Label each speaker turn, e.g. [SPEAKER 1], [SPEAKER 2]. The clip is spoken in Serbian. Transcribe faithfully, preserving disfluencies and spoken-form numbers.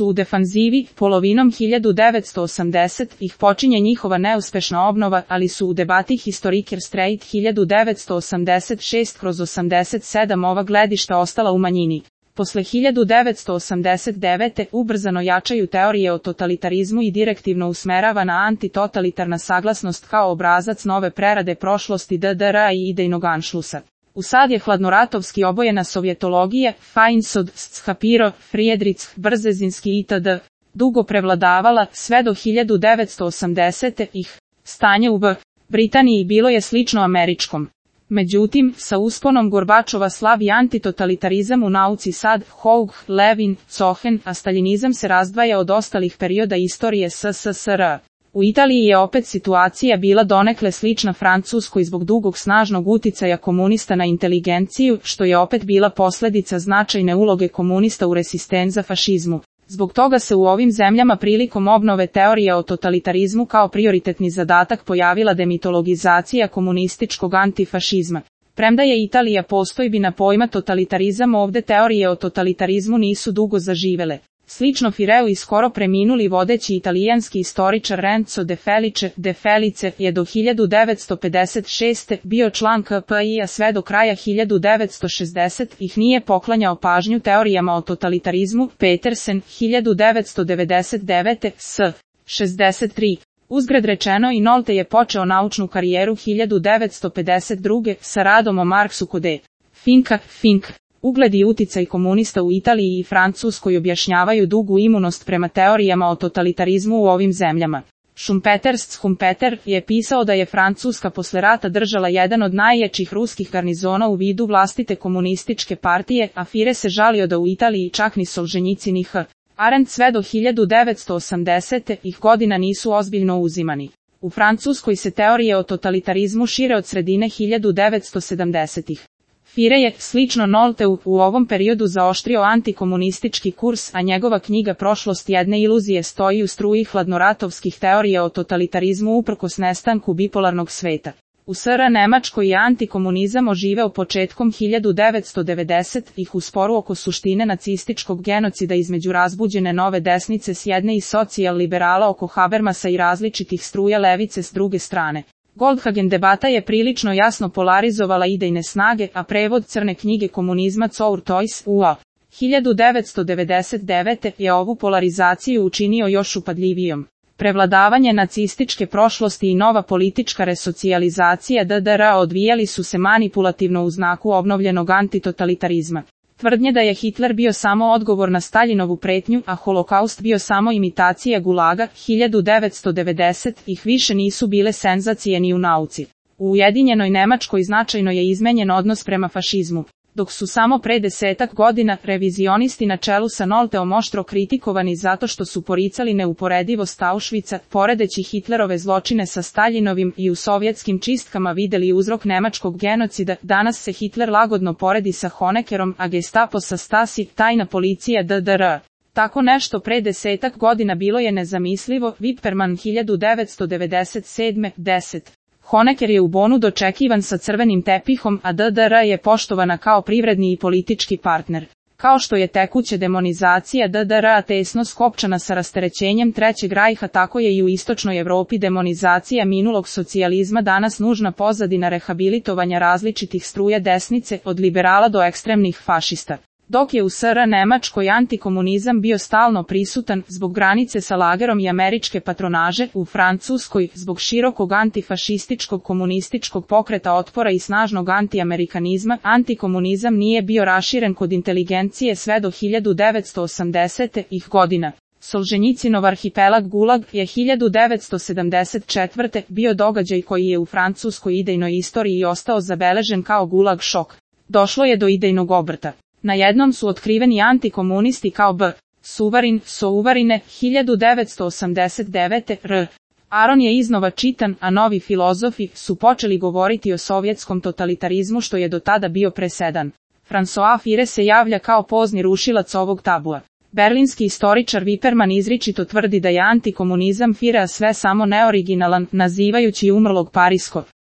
[SPEAKER 1] su u defanzivi, polovinom hiljadu devetsto osamdesetih počinje njihova neuspešna obnova, ali su u debati Historiker Straight hiljadu devetsto osamdeset šest kroz osamdeset sedam ova gledišta ostala u manjini. Posle hiljadu devetsto osamdeset devete ubrzano jačaju teorije o totalitarizmu i direktivno usmeravana antitotalitarna saglasnost kao obrazac nove prerade prošlosti D D R-a i idejnog anšlusa. Usad je hladnoratovski obojena sovjetologija, Feinsod, Shapiro, Friedrich, Brzezinski itd. dugo prevladavala, sve do hiljadu devetsto osamdesetih. Stanje u B. Britaniji bilo je slično američkom. Međutim, sa usponom Gorbačova slavi antitotalitarizam u nauci sad, Houg, Levin, Cohen, a staljinizam se razdvaja od ostalih perioda istorije S S S R. U Italiji je opet situacija bila donekle slična Francuskoj zbog dugog snažnog uticaja komunista na inteligenciju, što je opet bila posledica značajne uloge komunista u resistenza fašizmu. Zbog toga se u ovim zemljama prilikom obnove teorije o totalitarizmu kao prioritetni zadatak pojavila demitologizacija komunističkog antifašizma. Premda je Italija postojbina pojma totalitarizam, ovde teorije o totalitarizmu nisu dugo zaživele. Slično Fireu i skoro preminuli vodeći italijanski istoričar Renzo De Felice, De Felice je do hiljadu devetsto pedeset šeste bio član K P I-a sve do kraja hiljadu devetsto šezdesetih nije poklanjao pažnju teorijama o totalitarizmu. Petersen, hiljadu devetsto devedeset devete, S. šezdeset tri. Uzgred rečeno i Nolte je počeo naučnu karijeru hiljadu devetsto pedeset druge sa radom o Marksu kod E. Finka, Fink. Ugled i uticaj komunista u Italiji i Francuskoj objašnjavaju dugu imunost prema teorijama o totalitarizmu u ovim zemljama. Schumpeter Schumpeter je pisao da je Francuska posle rata držala jedan od najjačih ruskih garnizona u vidu vlastite komunističke partije, a Fire se žalio da u Italiji čak ni Solženjicin ni H. Arendt sve do hiljadu devetsto osamdesetih godina nisu ozbiljno uzimani. U Francuskoj se teorije o totalitarizmu šire od sredine hiljadu devetsto sedamdesetih. Fire je, slično Nolteu, u ovom periodu zaoštrio antikomunistički kurs, a njegova knjiga Prošlost jedne iluzije stoji u struji hladnoratovskih teorija o totalitarizmu uprkos nestanku bipolarnog sveta. U S R Nemačkoj je antikomunizam oživeo početkom hiljadu devetsto devedesetih u sporu oko suštine nacističkog genocida između razbuđene nove desnice s jedne i socijal-liberala oko Habermasa i različitih struja levice s druge strane. Goldhagen debata je prilično jasno polarizovala idejne snage, a prevod crne knjige komunizma Zur Toys U A hiljadu devetsto devedeset devete je ovu polarizaciju učinio još upadljivijom. Prevladavanje nacističke prošlosti i nova politička resocijalizacija D D R-a odvijali su se manipulativno u znaku obnovljenog antitotalitarizma. Tvrdnje da je Hitler bio samo odgovor na Staljinovu pretnju, a holokaust bio samo imitacija gulaga, hiljadu devetsto devedesetih više nisu bile senzacije ni u nauci. U Ujedinjenoj Nemačkoj značajno je izmenjen odnos prema fašizmu. Dok su samo pre desetak godina revizionisti na čelu sa Nolteom oštro kritikovani zato što su poricali neuporedivost Auschwitza, poredeći Hitlerove zločine sa Staljinovim i u sovjetskim čistkama videli uzrok nemačkog genocida, danas se Hitler lagodno poredi sa Honeckerom, a Gestapo sa Stasi, tajna policija D D R. Tako nešto pre desetak godina bilo je nezamislivo. Wipperman hiljadu devetsto devedeset sedme, deset. Honecker je u Bonu dočekivan sa crvenim tepihom, a D D R je poštovana kao privredni i politički partner. Kao što je tekuća demonizacija D D R-a tesno skopčana sa rasterećenjem Trećeg rajha, tako je i u istočnoj Evropi demonizacija minulog socijalizma danas nužna pozadina rehabilitovanja različitih struja desnice, od liberala do ekstremnih fašista. Dok je u S R Nemačkoj antikomunizam bio stalno prisutan zbog granice sa lagerom i američke patronaže, u Francuskoj zbog širokog antifašističkog komunističkog pokreta otpora i snažnog antiamerikanizma, antikomunizam nije bio raširen kod inteligencije sve do hiljadu devetsto osamdesetih godina. Solženjicinov arhipelag Gulag je hiljadu devetsto sedamdeset četvrte bio događaj koji je u francuskoj idejnoj istoriji ostao zabeležen kao Gulag šok. Došlo je do idejnog obrta. Na jednom su otkriveni antikomunisti kao B. Suvarin, Souvarine, hiljadu devetsto osamdeset devete. R. Aron je iznova čitan, a novi filozofi su počeli govoriti o sovjetskom totalitarizmu što je do tada bio presedan. François Fire se javlja kao pozni rušilac ovog tabua. Berlinski istoričar Wipperman izričito tvrdi da je antikomunizam Firea sve samo neoriginalan, nazivajući umrlog Pariskog